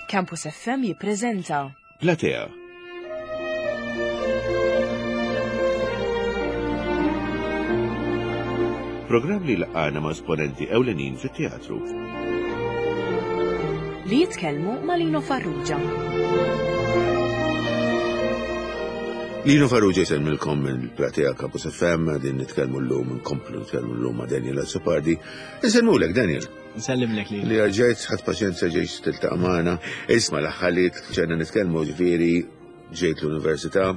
Campus FM jippreżenta. Platea. Programm li laqgħana ma' esponenti ewlenin fit-teatru. Li jitkellmu ma' Lino Farrugia. Lino Farrugia jsellmilkom mill-Platea Campus FM din nitkellmu llum nkomplu nitkellmu llum ma' Daniel Azzopardi. Insellmulek Daniel. Nsellimlek li. Li ġejt ħadd paċenzja ġejt tiltaqa' magħna. Isma' l-aħħar li ġejna nitkellmu ġifieri ġejt l-università,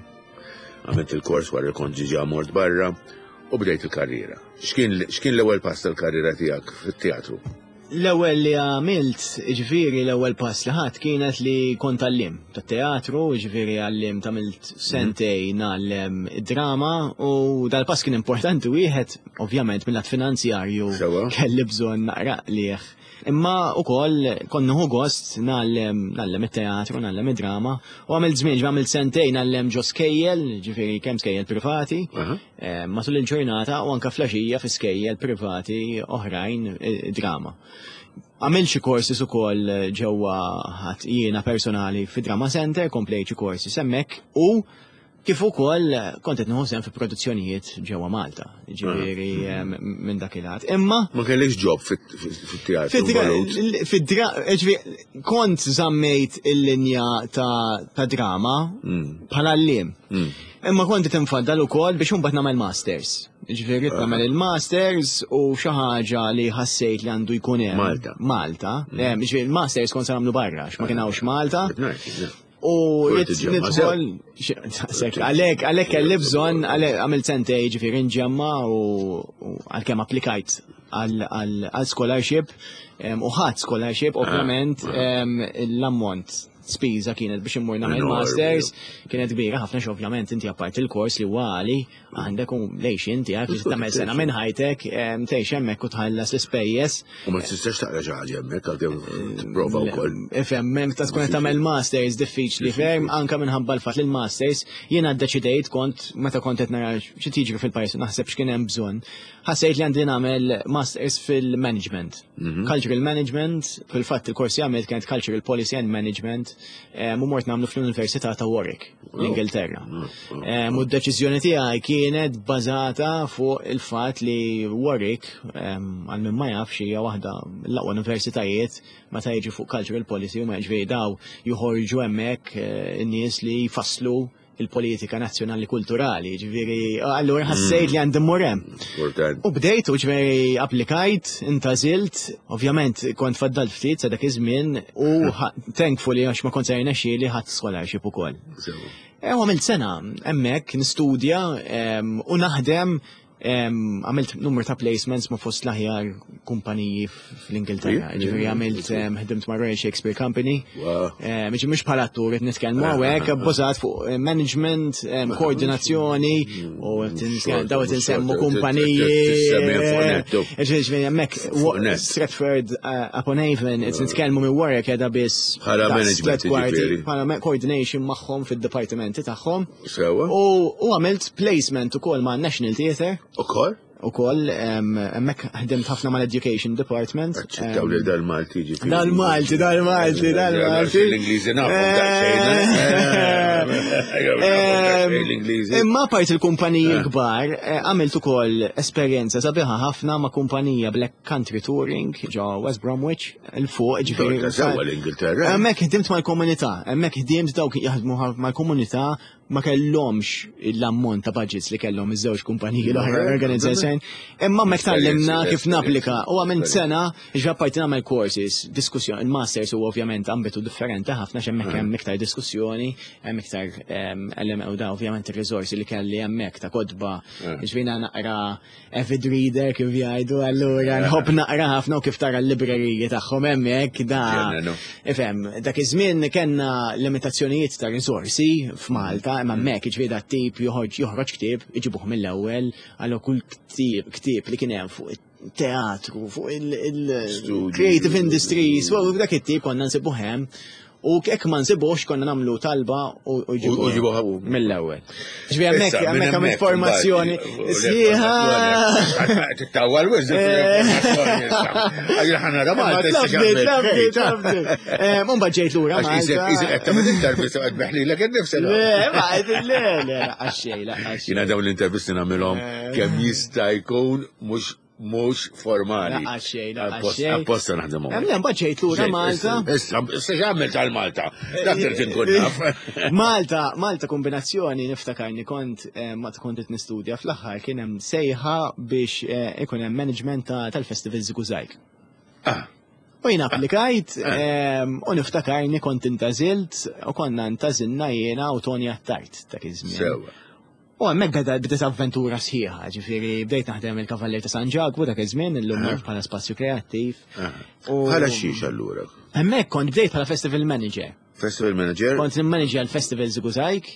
għamilt il-kors wara li kont ġiġa mort barra u bdejt il-karriera. X'kien l-ewwel pass tal-karriera tiegħek fit-teatru? L-ewwel li għamilt, ġifieri l-ewwel pass li ħadd kienet li kont għallim tat-teatru, ġifieri għallim tagħmilt sentej ngħallem id-drama u dal-pass kien importanti wieħed ovvjament mill-lat finanzjarju kelli bżonn naqra qligħ. Imma ukoll kont nieħu gost ngħallem ngħallem it-teatru, ngħallem id-drama u għamilt żmien għamilt sentejn ngħallem ġo skejjel, ġifieri kemm skejjel privati, eh, matul il-ġurnata u anke flaxija fi skejjel privati oħrajn eh, drama. Għamilt xi courses ukoll ġewwa ħadd jiena personali fi Drama Center, komplejt xi courses hemmhekk u Kif ukoll kont qed nieħu sehem fi produzzjonijiet ġewwa Malta, ġifieri ah. minn dak il-ħadd. Imma ma kellix ġob fit-teatru. Fid-dra, kont żammejt il-linja ta' drama mm. bħala l-lim. Mm. Imma kont qed infaddal ukoll biex imbagħad nagħmel masters. Ġifieri ah. nagħmel il-masters u xi ħaġa li ħassejt li għandu jkun hemm. Malta. Malta. Mm. Ġifieri il-masters kont se nagħmlu barra, x'ma kien hawnx Malta. U nidħol, għalek, għalek kelli bżon, għalek għamil sentej ġifiri nġemma u għal-kem applikajt għal scholarship u ħadd scholarship, ah, ovvjament ah. l-ammont spiża kienet biex immur nagħmel masters kienet kbira ħafna ovvjament inti apart il-kors li huwa għali għandek u lejx inti għak li tagħmel sena minn ħajtek tgħix hemmhekk u tħallas l-ispejjeż. U ma tistax taqra xi ħaġa hemmhekk għalkemm tipprova wkoll. Ifhem, hemm ta' tkun qed tagħmel masters diffiċli ferm anke minħabba l-fatt li l-masters jiena ddeċidejt kont meta kont qed nara xi tiġri fil-pajjiż naħseb x'kien hemm bżonn. Ħassejt li għandi nagħmel masters fil-management. Mhm. Cultural management, fil-fatt il-kors li għamilt kienet Cultural Policy and Management u mort nagħmlu fl-Università ta' Warwick, l-Ingilterra. U d-deċiżjoni tiegħi kienet bbażata fuq il-fatt li Warwick, għal min ma jafx hija waħda l-aqwa universitajiet meta jiġi fuq cultural policy u ma jiġifieri daw joħorġu hemmhekk eh, in-nies li jfasslu il-politika nazzjonali kulturali, ġifieri, allura ħassejt li għandi mmur hemm. U bdejt u ġifieri applikajt, intażilt, ovvjament kont faddalt ftit sa dak iż-żmien u thankfully għax ma kont se jirnexxieli ħadd scholarship ukoll. E, u għamilt sena hemmhekk nistudja u naħdem għamilt numru ta' placements ma' fost l-aħjar kumpaniji fl-Ingilterra. Ġifieri għamilt ħdimt ma' Royal Shakespeare Company. Ġifieri mhux bħala attur qed nitkellmu ah, hawnhekk ah, ah. bbażat fuq eh, management, koordinazzjoni u daw qed insemmu kumpaniji. Ġifieri hemmhekk Stratford eh, upon Avon qed nitkellmu minn wara qiegħda biss bħala management bħala coordination magħhom fid-dipartimenti tagħhom. Sewa. U għamilt placement ukoll ma' National Theatre. Ukoll? Ukoll, hemmhekk ħdimt ħafna mal-Education Department. Aċċettaw li dal-Malti ġifieri. Dal-Malti, dal-Malti, dal-Malti. L-Ingliżi nafu l-Ingliżi. Imma part il-kumpaniji eh. kbar, eh, għamilt ukoll esperjenza sabiħa ħafna ma' kumpanija Black Country Touring ġo West Bromwich. il-fuq, ġifieri. Sewwa l-Ingilterra. Hemmhekk ħdimt mal-komunità, hemmhekk ħdimt dawk jaħdmu mal-komunità ma kellhomx l-ammont ta' budgets li kellhom iż-żewġ kumpaniji l-oħra organizzazzjoni. Imma hemmhekk tgħallimna kif napplika u għamilt sena ġa parti nagħmel courses, diskussjoni, il-masters huwa ovvjament ambitu differenti ħafna x'hemmhekk hemm iktar diskussjoni, hemm iktar ehm, element u da ovvjament ir-riżorsi li kelli hemmhekk ta' kotba, eh. ġvina naqra avid reader kif jgħidu, allura nħobb naqra ħafna u kif tara l-libreriji tagħhom hemmhekk da. Ifhem, dak iż-żmien kellna limitazzjonijiet ta' risorsi f'Malta, imma mm. hemmhekk jiġifieri dat tip joħroġ joħroġ ktieb iġibuh mill-ewwel, allura kull ktieb ktieb li kien hemm fuq teatru, fuq il-creative industries, u dak it-tip konna nsibuh hemm. U hekk ma nsibux konna nagħmlu talba u ġibuha mill-ewwel. Ġifieri hemmhekk hemmhekk hemm informazzjoni sħiħa. Tittawwal wisq informazzjoni. Għajja ħana ra Malta. Mbagħad ġejt lura. Isek qed tagħmel intervista qed beħlilek innifsek. Le, ma le, le, għaxxej, la Jiena dawn l-intervisti nagħmilhom kemm jista' jkun mhux mhux formali. Laqgħa xejn, laqgħa xejn. Apposta naħdem hawn. Hemm mbagħad ġejt lura Malta. Issa, issa x'għamel tal-Malta? Dak trid inkun naf. Malta, Malta kombinazzjoni niftakarni kont eh, ma kont qed nistudja fl-aħħar kien hemm sejħa biex eh, ikun hemm management tal-festival Żigużajk. Ah. U jien applikajt ah. ehm, u niftakarni kont intażilt u konna ntażilna jiena u Tony Attard dak iż-żmien. U hemmhekk beda bdiet avventura sħiħa, ġifieri bdejt naħdem il-Kavallier ta' San Ġakbu dak iż-żmien illum naf bħala spazju kreattiv. Bħala xiex allura? Hemmhekk kont bdejt bħala festival manager. Festival manager? Kont nimmanager l-festival Żigużajk.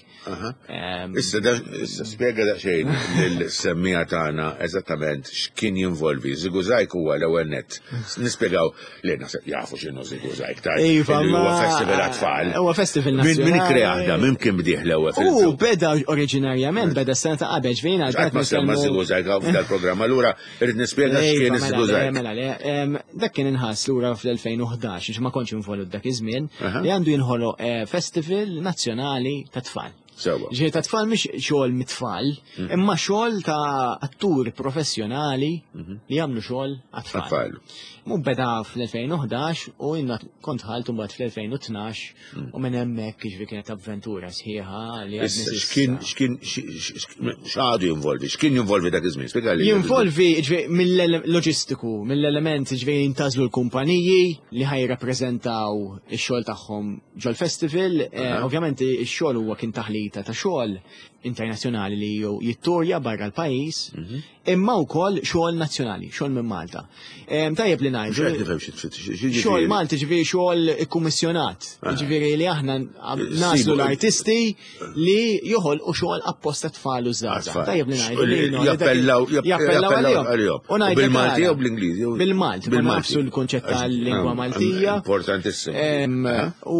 Issa issa spjega daqsxejn lill-semmija tagħna eżattament x'kien jinvolvi. Żigużajk huwa l-ewwel nett. Nispjegaw li naħseb jafu x'inhu Żigużajk ta' Iva, huwa festival għat-tfal. Huwa festival nazzjonali. Min ikkreah da, min kien bdieh l-ewwel fil U beda oriġinarjament beda s-sena ta' qabel ġvina. Qatt ma semma Żigużajk f'dal-programm, allura irrid nispjega iva, x'kien mela iż-Żigużajk. Mela le, dak kien inħass lura fl-2011, ma kontx involut dak iż-żmien, li għandu jinħoloq eh, festival nazzjonali ta' tfal. Sewa. Ġifieri ta' tfal mhix xogħol mit-tfal, imma xogħol ta' atturi professjonali mhm. li jagħmlu xogħol għat-tfal. Mu beda fl-2011 u jiena kont ħalt mbagħad fl-2012 mm. u minn hemmhekk jiġifieri kienet avventura sħiħa li X'kien x'kien x'għadu jinvolvi, x'kien jinvolvi dak iż-żmien? Spjegali. Jinvolvi ġifieri mill-loġistiku, mill-element ġifieri jintażlu l-kumpaniji li ħaj jirrappreżentaw ix-xogħol tagħhom ġol-festival, eh, ovvjament ix-xogħol huwa kien taħlita ta' xogħol internazzjonali li jitturja barra l-pajjiż, mhm. imma wkoll xogħol nazzjonali, xogħol minn Malta. Tajjeb li ngħidu. Xogħol Malti ġifieri xogħol ikkummissjonat, ġifieri li aħna naslu l-artisti li joħolqu xogħol apposta tfal u żgħażagħ. Tajjeb li ngħidu. Jappellaw jappellaw għalihom. Bil-Malti jew bl-Ingliż? Bil-Malti, bil-Malti. l-kunċett tal-lingwa Maltija. Importantissimu. U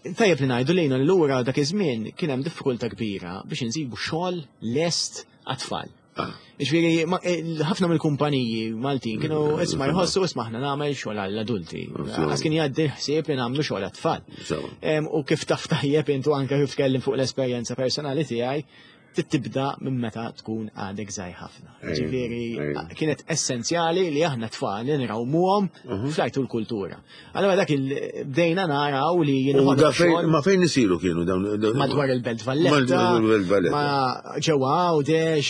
tajjeb li ngħidu lejna lura dak iż-żmien kien hemm diffikultà kbira biex insibu xogħol lest għat-tfal. Ah. Ġifieri, eh, ħafna mill-kumpaniji Maltin kienu mm, isma' jħossu isma' aħna nagħmel xogħol għall-adulti. Għas kien jgħaddi ħsieb li nagħmlu xogħol għat-tfal. U kif taf tajjeb intu anke kif tkellim fuq l-esperjenza personali tiegħi, tibda minn meta tkun għadek żgħir ħafna. Ġifieri kienet essenzjali li aħna tfal li nrawmuhom mhm. flajtu l-kultura. Allora dak il bdejna naraw li jinħolqu. Ma fejn isiru kienu dawn? Madwar il-Belt Valletta. Ma ġewwa Għawdex,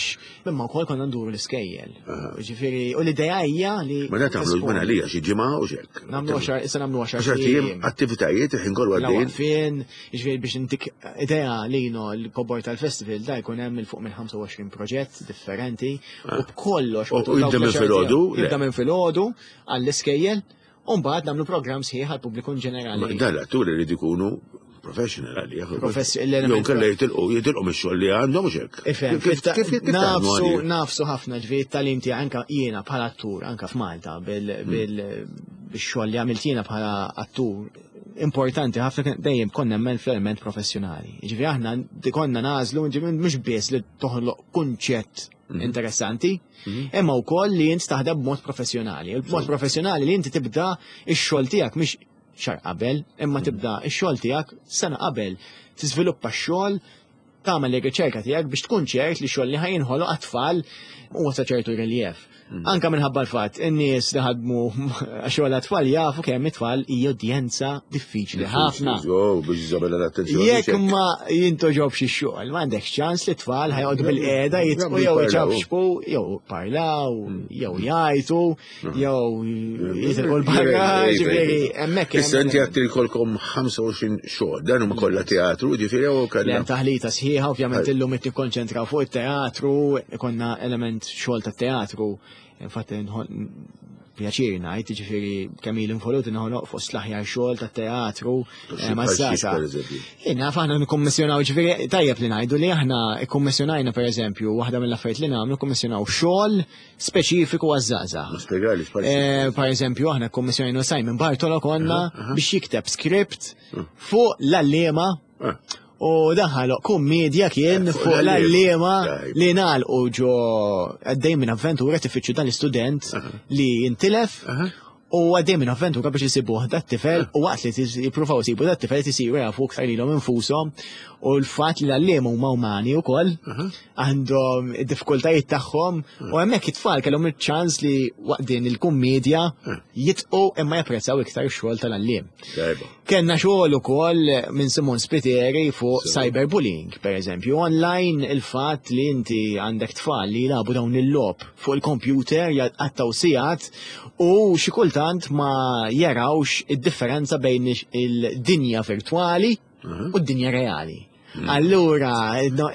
imma wkoll konna nduru l-iskejjel. Ġifieri, u l-idea hija li. Ma da tagħmlu minn għalija xi ġimgħa u xek. Nagħmlu għaxar, issa nagħmlu għaxar. Għaxar tiem attivitajiet il-ħin kollu għaddejjin. Fin, ġifieri biex intik idea li no l-kobor tal-festival da jkun hemm il fuq minn 25 proġett differenti u b'kollox. U jibda minn filgħodu? Jibda minn filgħodu għall-iskejjel. U mbagħad nagħmlu programm sħiħ għall-pubbliku in ġenerali. Dan l-atturi jrid ikunu professional għalih. Jew kellha jitilqu jitilqu mix-xogħol li għandhom mhux hekk. Ifhem, nafsu nafsu ħafna ġifieri t-tagħlim tiegħi anke jiena bħala attur anke f'Malta bil-xogħol li għamilt jiena bħala attur importanti ħafna dejjem konna nemmen fl-element professjonali. Ġifieri aħna konna nagħżlu mhux biss li toħloq kunċett mhm. interessanti, mhm. imma wkoll li int taħdem b'mod professjonali. Il-mod professjonali li inti tibda x-xogħol tiegħek mhix xar qabel, imma mhm. tibda x-xogħol tiegħek sena qabel. Tiżviluppa x-xogħol, tagħmel ir-riċerka tiegħek biex tkun ċert li xogħol li ħajinħoloq għat-tfal huwa ta' ċertu reliev. Mm. Anka minħabba l-fatt, in-nies li ħadmu xogħol għat-tfal jafu kemm it-tfal hija udjenza diffiċli ħafna. Biex iżabella l-attenzjoni. Jekk ma jintoġobx ix-xogħol, m'għandekx ċans li t-tfal ħajqogħdu bil-qiegħda jitqu jew iċabxbu, jew parlaw, mm. jew jgħajtu, mm. jew jitilqu l-barra, ġifieri hemmhekk. Issa inti għad jkollkom 25 xogħol, dan huma kollha teatru, ġifieri jew kellha. Taħlita sħiħa, ovvjament illum qed nikkonċentraw fuq it-teatru, konna element xogħol ta' teatru, infatti pjaċir ngħid, jiġifieri kemm ili involut noħloq fost l-aħjar xogħol tat-teatru eh, maż-żgħażagħ. Jien naf aħna nikkummissjonaw ġifieri tajjeb li ngħidu li aħna kkummissjonajna pereżempju waħda mill-affarijiet li nagħmlu kkummissjonaw xogħol speċifiku għaż-żgħażagħ. Eh, per eżempju aħna kkummissjonajna Simon Bartolo konna biex jikteb script hmm. fuq l-għalliema ah. U daħal kummedja kien eh, fuq l-għalliema li nagħlqu ġo għaddej minn avventura tifittxu dan l-istudent li jintilef u għaddej minn avventura biex jisibuh dat tifel u waqt li jippruvaw isibu dat tifel isiru jafu iktar lilhom infushom u l-fatt li l-għalliema huma umani wkoll għandhom id-diffikultajiet tagħhom u hemmhekk it-tfal kellhom iċ-ċans li waqt din il-kummedja jitqu imma japprezzaw iktar ix-xogħol tal-għalliem. Kenna xogħol ukoll minn Simon Spiteri fuq cyberbullying, per eżempju, online il-fatt li inti għandek tfal li jilagħbu dawn il-logħob fuq il-computer jgħattaw sigħat u xi kultant ma jarawx id-differenza bejn il-dinja virtwali u d-dinja reali. Mm. Allura,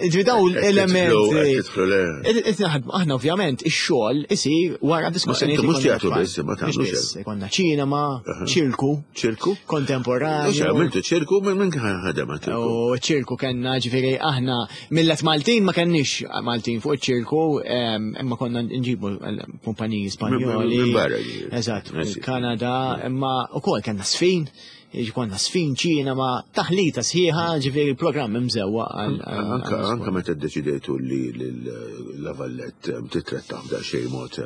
ġi daw l-elementi. Aħna ovvjament ix-xogħol isir wara diskussjoni. Mhux teatru biss, ma tagħmlux. Konna ċinema, ċirku. Ċirku? Kontemporanju. Mhux għamiltu ċirku minn kien ħadem ċirku. U ċirku kellna ġifieri aħna millet Maltin ma kenniex Maltin fuq iċ-ċirku, imma konna nġibu kumpaniji Spanjoli. Eżatt, Kanada, imma ukoll kellna sfin. Konna sfin ċinema, taħlita sħiħa, ġifieri programm imżewwa għal. Anka anka meta ddeċidejtu li la Vallett titratta f'daqsxejn mod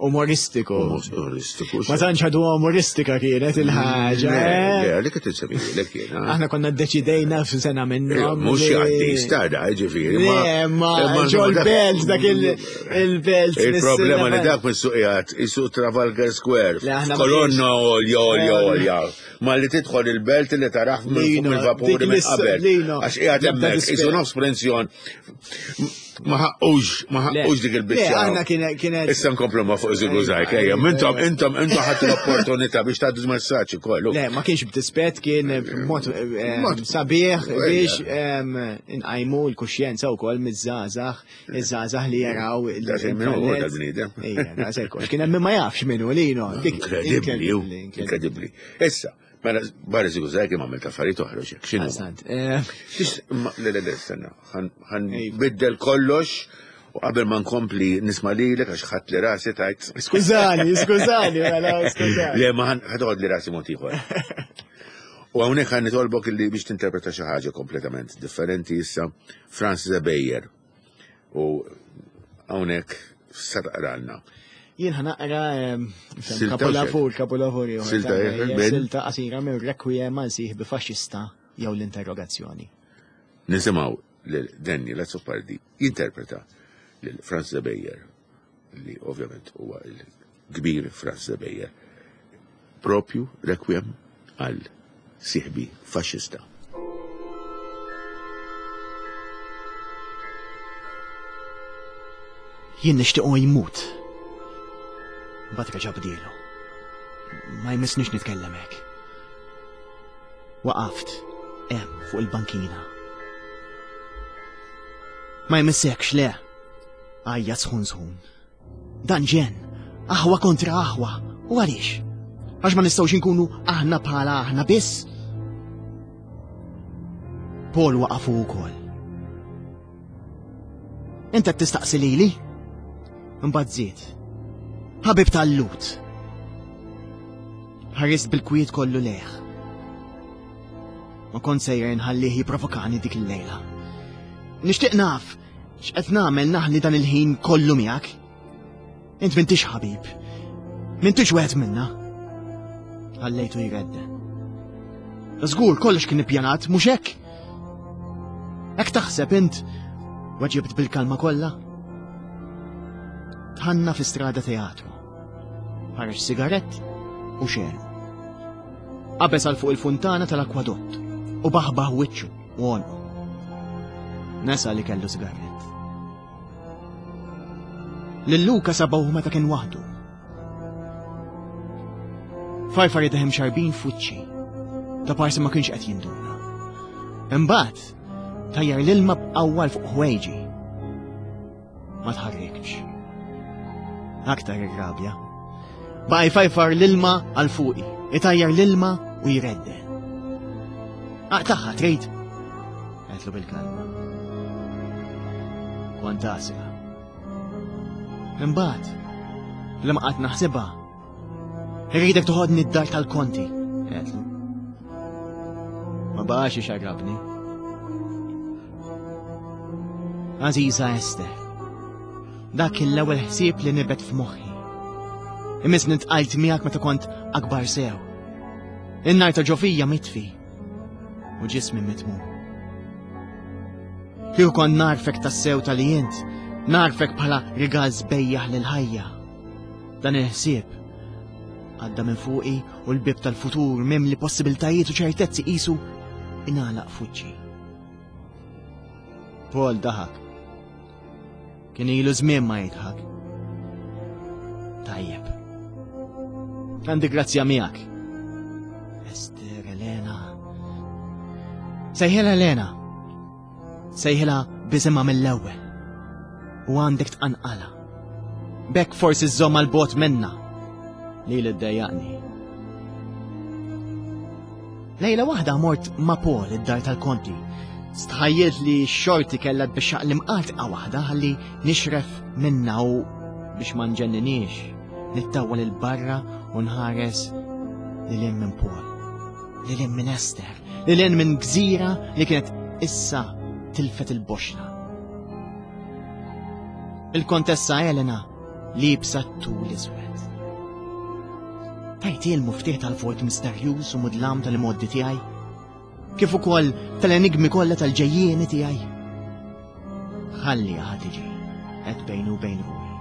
umoristiku. Umoristiku. Ma tantx ħadu umoristika kienet il-ħaġa. Eh? Le, li kien insemmi lek jiena. Aħna konna ddeċidejna f'sena minnhom. Mhux jgħaddi stada, ġifieri. Le, ma ġol belt dak il-belt. Il-problema li dak mis-suqijat, isuq Trafalgar Square. Kolonna olja, olja, olja. Ma li tidħol il-belt li taraħ minn fuq il-vapuri minn qabel. Għax qiegħed hemmhekk isu nofs prensjon. Ma ħaqqux, ma ħaqqux dik il-biċċa. Aħna kienet. Issa nkomplu ma fuq żigu żgħir, ejja, intom intom intom ħadd l-opportunità biex tgħaddu messaġġ ukoll. Le, ma kienx b'dispett kien mod eh, sabiħ biex inqajmu l-kuxjenza wkoll miż-żgħażagħ, iż-żgħażagħ li jaraw il Min hu dal-bniedem. Ejja, daqshekk. Kien hemm ma jafx min hu lino. Inkredibbli, inkredibbli. Issa, mela barra żigu żgħir kien għamilt affarijiet oħra xek, x'inhu? Eh. Le, le, le, stenna, ħan biddel kollox u qabel ma nkompli nisma' lilek għax ħadd li rasi tajt. Skużani, skużani, mela, skużani. Le, ma ħad li rasi mod ieħor. U hawnhekk ħan nitolbok illi biex tinterpreta xi ħaġa kompletament differenti issa Francis Beyer. U hawnhekk sa taqralna. Jien ħanaqra kapolavur, kapolavur ieħor. Silta Silta qasira minn Requiem għal sieħbi faxxista jew l-interrogazzjoni. Nisimgħu lil Daniel Azzopardi jinterpreta lil Franz Beyer li ovvjament huwa il-kbir Franz Beyer. Propju Requiem għal sieħbi faxxista. Jien nixtiequ jmut. Mbagħad reġa' bdielu. Ma jmissnix nitkellem hekk. Waqaft hemm fuq il-bankina. Ma jmissekx le. Għajja sħun sħun. Dan ġenn, aħwa kontra aħwa. U għaliex? Għax ma nistgħux inkunu aħna bħala aħna biss? Paul waqafu wkoll. Inta tistaqsi lili? Imbagħad żied. Ħabib tal-lut. Ħarist bil-kwiet kollu leħ. Ma kont sejjer inħallih jipprovokani dik il-lejla. Nixtieq naf X'qed nagħmel naħli dan il-ħin kollu miegħek? Int m'intix ħabib. M'intix wieħed minna. Ħallejtu jredde. Żgur kollox kien ippjanat, mhux hekk? Hekk taħseb int waġibt bil-kalma kollha? Tħanna fi strada teatru. Ħareġ sigarett u xelu. Qabeż għal fuq il-funtana tal-akwadott u baħbaħ wiċċu. U għonqu. Nesa li kellu sigarett. Lil Luka sabaw meta kien waħdu. Farfar idehim xarbin f'wiċċi. Ta' parsi ma kienx qed jinduna. Imbagħad tajjar l-ilma b'qawwa fuq ħwejġi. Ma tħarrikx. Aktar irrabja. Baqa' jfajfar l-ilma għal fuqi, itajjar l-ilma u jredden. Aqtaħħa trid? Għedtlu bil-kalma. Kont għasra. Imbagħad, li ma qatt naħsibha, irridek toħodni d-dar tal-konti, għedtlu. Ma baqax ixarrabni. Aziza Ester, dak kien l-ewwel ħsieb li nibet f'moħħi. Imisni ntqajt miegħek meta kont akbar sew. In-nar ta' ġofija mitfi u ġismi mitmum. Kieku kont narfek tassew tal-li int, narfek bħala rigal sbejjaħ lil-ħajja. Dan il-ħsieb għadda minn fuqi u l-bib tal-futur mimli possibiltajiet u ċertezzi qisu ingħalaq fuċċi. Paul daħak. Kien ilu żmien ma jidħak. Tajjeb. Għandi grazzja miegħek. Ester Elena. Sejħilha Elena. Sejħilha biżimha mill-ewwel. U għandek tqanqala. Bekk forsi żżomm għal bot minna. Li li ddejjaqni. Lejla waħda mort ma' Paul id-dar tal-konti. Stħajjilt li x-xorti kellha tbixxaq l-imqatqa waħda ħalli nixref minna u biex ma nġenninix, nittawwal 'il barra u nħares lil hinn minn Paul, lil hinn minn Esther, lil hinn minn gżira li kienet issa tilfet il-boxla. Il-Kontessa Elena liebsa t-tul iswed. Tajti l-muftieħ tal-vojt misterjuż u mudlam tal-imgħoddi tiegħi, kif ukoll tal-enigmi kollha tal-ġejjieni tiegħi. Ħalli ħa tiġi qed bejnu u bejn ruħi.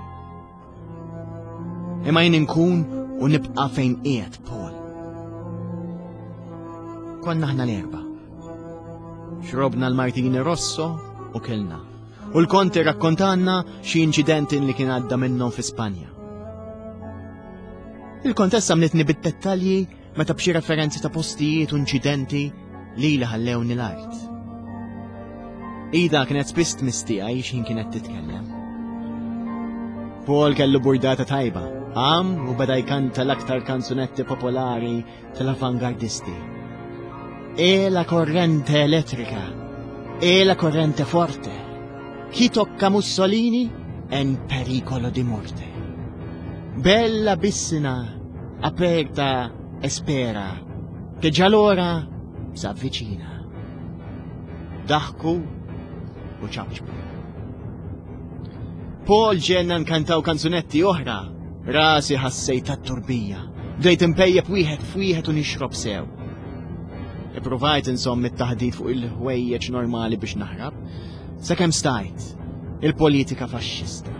Imma jien inkun u nibqa' fejn qiegħed Paul. Konna aħna l-erba. Xrobna l-Martini Rosso u kilna. U l-konti rakkontanna xi inċidenti li kien għadda minnhom fi Spanja. Il-kontessa mlitni bid-dettalji meta b'xi referenzi ta' postijiet u inċidenti li li ħallewni l-art. Ida kienet spiss tmistija x'ħin kienet titkellem. Paul kellu burdata tajba, għam u beda jkanta l-aktar kanzunetti popolari tal-avangardisti. E la corrente elettrica, e la corrente forte. Chi tocca Mussolini è in pericolo di morte. Bella bissina, aperta e spera, che già l'ora s'avvicina. Daħku u ċapċpu. Paul ġenna nkantaw kanzunetti oħra. Rasi ħassejt tat-turbija. Bdejt impejjeb wieħed f'wieħed u nixrob sew. Ippruvajt insomm it-taħdit fuq il-ħwejjeġ normali biex naħrab. Sakemm stajt, il-politika faxxista.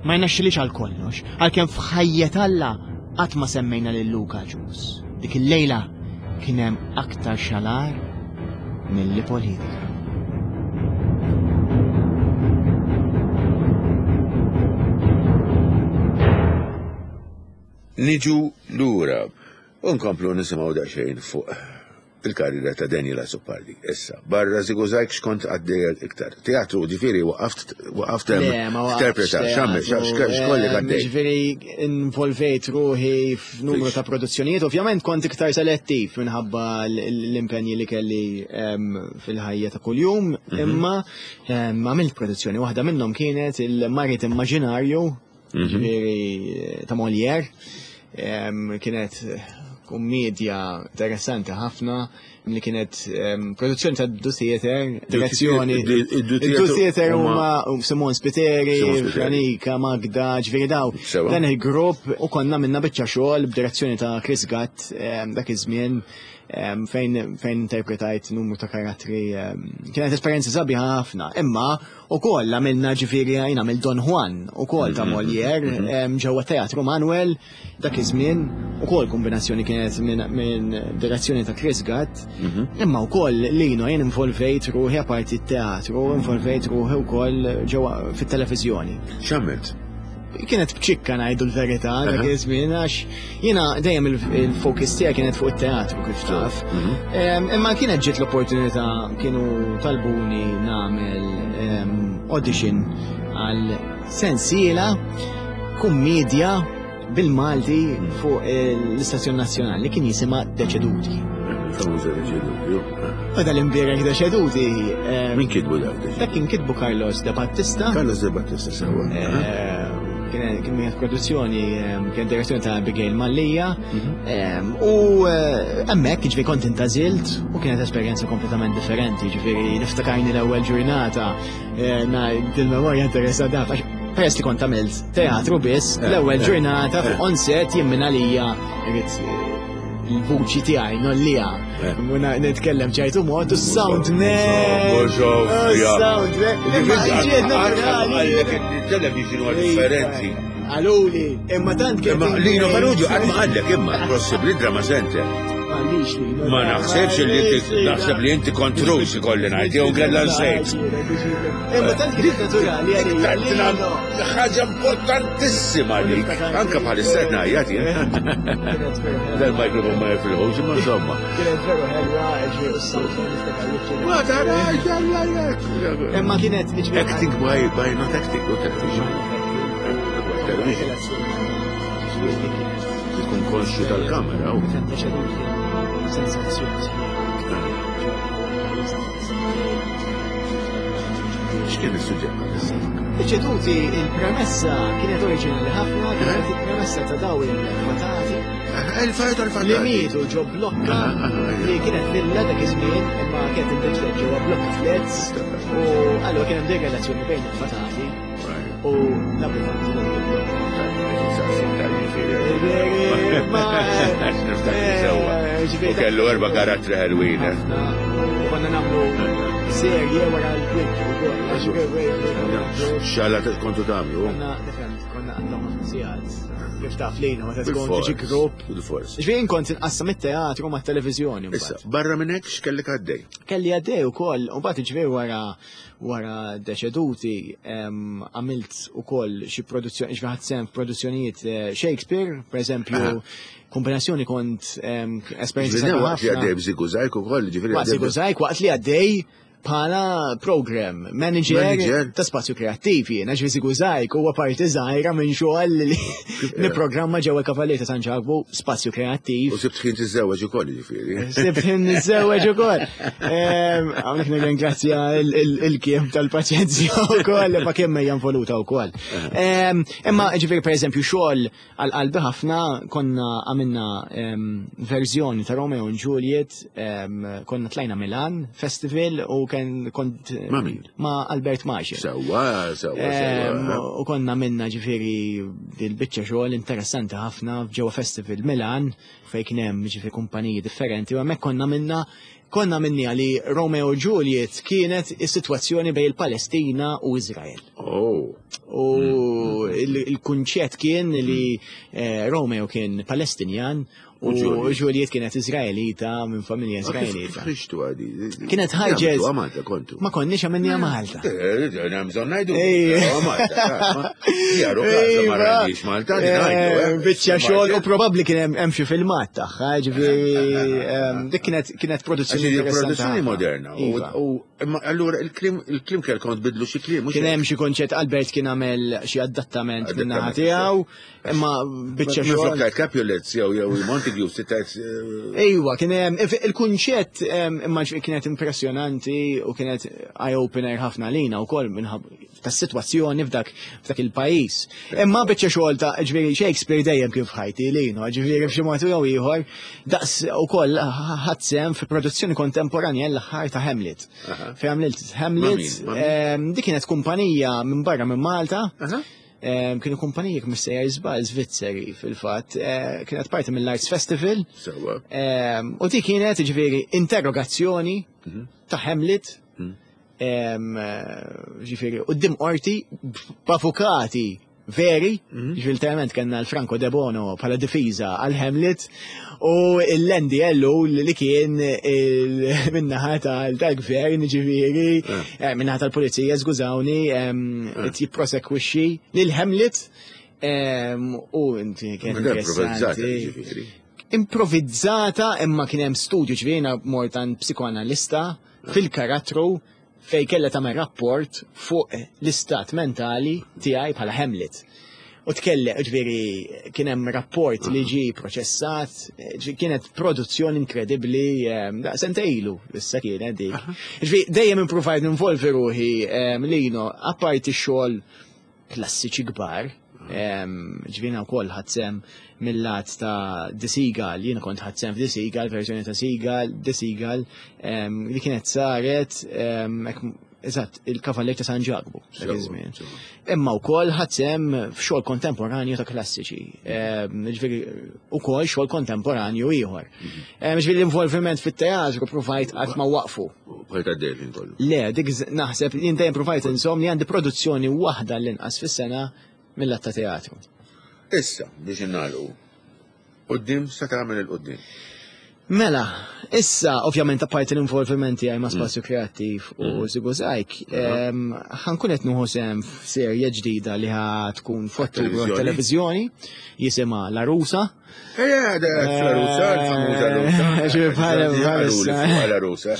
Ma jnaxxilix għal kollox, għalkemm f'ħajjet Alla qatt ma semmejna lil Luka Ġus. Dik il-lejla kien hemm aktar xalar milli politika. Niġu lura u nkomplu nisimgħu daqsxejn fuq il-karriera ta' Daniel Azzopardi. Issa, barra Żigużajg x'kont għaddej iktar? Teatru, ġifieri waqaft waqaft hemm interpreta, x'għamel, x'kollek eh, għaddej. Ġifieri involvejt ruħi f'numru ta' produzzjonijiet, ovvjament kont iktar selettiv minħabba l-impenji li kelli ehm, fil-ħajja ta' kuljum, mhm. imma ehm, għamilt produzzjoni waħda minnhom kienet il-Marit Immaġinarju mhm. ġifieri ta' Molière. Kienet kummedja interessanti ħafna li kienet produzzjoni ta' Du Theater, direzzjoni. Du Theater huma Simon Spiteri, Franika, Magda, ġifieri daw. Dan il-grupp u konna minna biċċa xogħol b'direzzjoni ta' Chris Gatt dak iż-żmien fejn fejn interpretajt numru ta' karattri. Kienet esperjenza sabiħa ħafna, imma Ukoll għamilna ġifieri jien għamil Don Juan ukoll ta' mhm, Molière mhm. mhm. ġewwa Teatru Manuel dak iż-żmien ukoll kombinazzjoni kienet minn direzzjoni ta' Chris Gatt. Imma wkoll lino jien involvejt ruħi apparti t-teatru, involvejt ruħi wkoll ġewwa fit-televiżjoni. X'għamilt? Kienet bċikka ngħidu l-verità dak iż-żmien għax jiena dejjem il-focus tiegħi kienet fuq it-teatru kif taf. Mhm. Imma kienet ġiet l-opportunità kienu talbuni nagħmel audition għal sensiela. kummedja bil-Malti fuq l-Istazzjon Nazzjonali kien jisimha Deċeduti. Famuża Deċeduti. U dal-imbierek Deċeduti. Min kitbu dak? Dak kien kitbu Carlos De Battista. Carlos De Battista sewa. Kien kien produzzjoni, kien direzzjoni ta' Abigail Mallia. U hemmhekk ġifieri kont intażilt u kienet esperjenza kompletament differenti, ġifieri niftakarni l-ewwel ġurnata dil-memorja interessata għax peress li kont għamilt teatru biss, l-ewwel ġurnata fuq on set jien minn għalija irrid il-vuċi tiegħi nollija. Muna nitkellem ċertu mod u sound man. Sound man. Il-television huwa differenti. Għaluli, imma tant kien. Imma Lino Farrugia qatt ma qallek imma possibbli drama center. M'għandix Lino. Ma naħsebx li inti naħseb li inti kontrus ikolli ngħid jew kellha nsejt. Imma tant kien naturali għalija. Ħaġa importantissima li anke bħalissa qed ngħajjat jien. Dal-mikrofon ma jifilħux imma insomma. Kienet veru ħelwa, ġifieri u s-sound Ma tarax, Imma kienet Acting by, by not acting, not acting. Tkun konxju tal-kamera. X'kien is-suġġett Iċeduti il-premessa kienet oriġinali ħafna, kienet il-premessa ta' daw il-fatati. Il-fatati tal Li mietu ġo blokka li kienet villa dak iż-żmien imma kienet inbidlet ġewwa blokka flats u allura kien hemm dik relazzjoni bejn il-fatati u l-abitanti U kellu erba karattri ħelwin. U konna nagħmlu serje wara l-kwinti u Xalla kontu tagħmlu? Konna, konna għandhom ħafna sigħat. Kif taf lejna meta tkun tiġi grupp. Bil-fors. Ġifieri kont inqassam it-teatru mat-televiżjoni. Issa, barra minn hekk x'kellek għaddej? Kelli għaddej ukoll, u mbagħad ġifieri wara wara deċeduti għamilt ukoll xi produzzjoni, ġifieri ħadt sehem f'produzzjonijiet eh, Shakespeare, per eżempju, kombinazzjoni kont esperjenza. Waqt li għaddej b'Żigużajk ukoll, ġifieri. Waqt Żigużajk, waqt li għaddej bħala program manager, manager. ta' spazju kreattiv jiena ġifieri Żigużajk huwa parti żgħira minn xogħol li nipprogramma ġewwa Kavallier ta' San Ġakbu spazju kreattiv. U sibt ħin tiżżewweġ ukoll jiġifieri. Sibt ħin niżżewweġ ukoll. Hawnhekk nirringrazzja il-kiem tal-paċenzja wkoll ma kemm hija involuta wkoll. Imma ġifieri pereżempju xogħol għal qalbi ħafna konna għamilna verżjoni ta' Romeo and Juliet, konna tlajna Milan Festival u kien kont Ma' min? Ma' Albert Maġi. Sewwa, sewwa, sewwa. U konna minna ġifieri dil-biċċa xogħol interessanti ħafna ġewwa Festival Milan fejn kien hemm ġifieri kumpaniji differenti u hemmhekk konna minna konna minni li Romeo u Juliet kienet is-sitwazzjoni bejn il-Palestina u Izrael. Oh. U il-kunċett kien li eh, Romeo kien Palestinjan U Juliet kienet Izraelita minn familja Izraelita. Ħriġtu għadi. Kienet ħarġet. Malta kontu. Ma konniex għamilni Malta. Eh, bżonn ngħidu. Malta. Jaru ma rajniex Malta. Eh, biċċa xogħol u probabbli kien hemm xi filmat tagħha, ġifieri ehm, dik kienet kienet produzzjoni. Produzzjoni moderna. Iva. U imma allura il-klim il-klim kellkom tbidlu xi kliem. Kien hemm xi konċett Albert kien għamel xi adattament min-naħa tiegħu. Imma biċċa xogħol. Minflok tajt Capulets jew jew Montague si tajt. Eh, Ejwa, kien hemm il-kunċett imma kienet impressjonanti u kienet eye-opener ħafna lina wkoll minħab tas-sitwazzjoni f'dak f'dak il-pajjiż. Imma biċċa xogħol ta' ġifieri Shakespeare dejjem kien f'ħajti lina, ġifieri f'xi mod jew ieħor daqs ukoll ħadd sehem fi produzzjoni kontemporanja l-aħħar ta' Hamlet. Fi għamilt Hamlet, dik kienet kumpanija minn barra minn Malta. Kienu kumpaniji jekk mhux sejjer żball Svizzeri fil-fatt, eh, kienet parti mill-Arts Festival. Sewwa. U di kienet ġifieri interrogazzjoni mhm. ta' Hamlet mhm. Eh, ġifieri qudiem qorti b'avukati veri, mhm. ġifieri literalment kellna l-Franco De Bono bħala difiża għal Hamlet u l-Andy Ellu li kien minnaħa tal-gvern ġifieri, eh. eh, minnaħa tal-pulizija, żgużawni, eh. qed jipprosekwixxi lil Hamlet u inti kien interessanti. Improvvizzata imma kien hemm studju ġifieri mort għand psikoanalista fil-karattru fejn kellha tagħmel rapport fuq l-istat mentali tiegħi bħala Hamlet. U tkellem, ġifieri kien hemm rapport li ġie proċessat, kienet produzzjoni inkredibbli, sentejn ilu issa kienet dik. Ġifieri dejjem impruvajt ninvolvi ruħi Lino, apparti xogħol klassiċi kbar, ġifieri wkoll ħadt sehem mill-lat ta' The Seagull, jiena kont ħadt sehem f'The Seagull, verżjoni ta' Seagull, The Seagull, li kienet saret Eżatt, il-Kavallier ta' San Ġakbu dak iż-żmien. Imma wkoll ħadt sehem f'xogħol kontemporanju ta' klassiċi. Ehm, ġifieri ukoll xogħol kontemporanju ieħor. Mhm. Ehm, ġifieri l-involviment fit-teatru provajt qatt ma waqfu. Bħajt għaddejt kollu. Le, dik naħseb jien dejjem provajt inżomm li għandi produzzjoni waħda l-inqas fis-sena mill-att ta' teatru. Issa, biex innagħlqu, Quddiem sa tagħmel il-quddiem. Mela, issa ovvjament apparti l-involviment tiegħi ma' mm. Spazju Kreattiv u mm. Żigużajk, ħankun qed nieħu sehem f'serje ġdida li ħa tkun f'Ottubru televiżjoni jisimha La Rusa. Eh, La Rusa, l-famuża Rusa. La Rusa.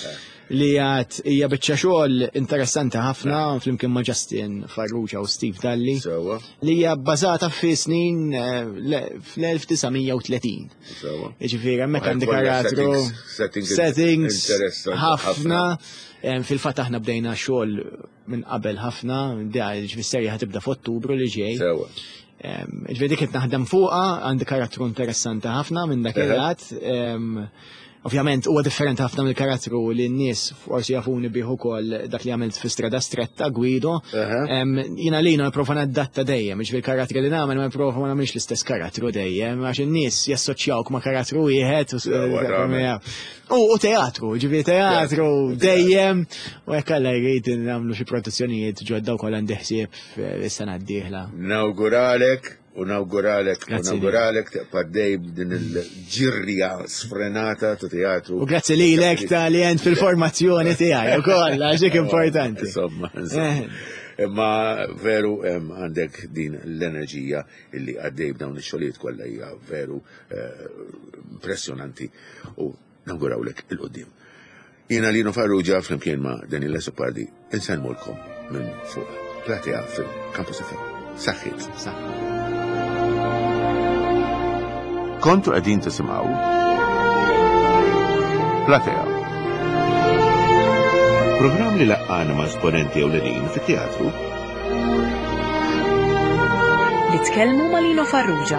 li għad hija biċċa xogħol interessanti ħafna flimkien ma' Justin Farrugia u Steve Dalli. Sewa. Li hija bbażata fi snin eh, fl-1930. Sewa. Jiġifieri hemmhekk għandi karattru settings ħafna. Fil-fatt aħna bdejna xogħol minn qabel ħafna, ġifieri serja ħatibda f'Ottubru li ġej. Sewa. Ġifieri dik qed naħdem fuqha, għandi karattru interessanti ħafna minn dak il-lat. Ovvjament huwa differenti ħafna mill-karattru li n-nies forsi jafuni bih ukoll dak li għamilt fi Strada Stretta Guido. Jiena lina nipprova nadatta dejjem, jiġifieri karattri li nagħmel ma nipprova ma nagħmilx l-istess karattru dejjem għax in-nies jassoċjawk ma' karattru wieħed. U teatru, ġifieri teatru dejjem u jekk Alla jrid nagħmlu xi produzzjonijiet ġodda wkoll għandi ħsieb is-sena d-dieħla. Nawguralek U nawguralek, u nawguralek tibqa' dej b'din il-ġirja sfrenata ta' teatru. U grazzi lilek ta' li għent fil-formazzjoni tiegħi ukoll għax dik importanti. Insomma, insomma. Eh. Imma veru għandek din l-enerġija illi għaddej b'dawn ix-xogħlijiet kollha hija veru eh, impressjonanti u nawgurawlek il-qudiem. Jiena Lino Farrugia flimkien ma' Daniel Azzopardi insellmulkom minn fuq platea fil-Campus FM. Saħħit. Kontu qegħdin tisimgħu Platea. Programm li laqqana ma' esponenti ewlenin fit-teatru Li tkellmu ma' Lino Farrugia.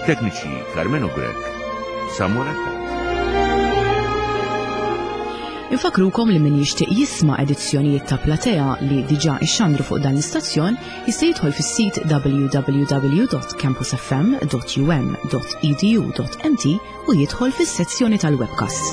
Tekniċi Carmenu Grech, Samuel Attard. Infakrukom li min jixtieq jisma' edizzjonijiet ta' Platea li diġà ixxandru fuq dan l-istazzjon jista' jidħol fis-sit www.campusfm.um.edu.mt u jidħol fis-sezzjoni tal-webcasts.